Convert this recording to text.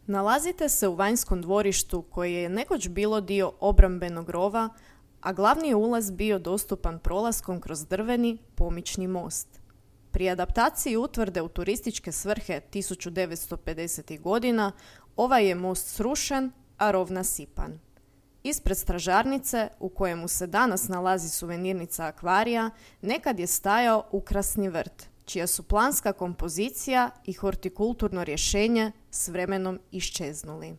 Nalazite se u vanjskom dvorištu koje je nekoć bilo dio obrambenog rova, a glavni je ulaz bio dostupan prolaskom kroz drveni pomični most. Pri adaptaciji utvrde u turističke svrhe 1950. godina ovaj je most srušen, a rov nasipan. Ispred stražarnice, u kojemu se danas nalazi suvenirnica akvarija, nekad je stajao ukrasni vrt, čija su planska kompozicija i hortikulturno rješenje s vremenom iščeznuli.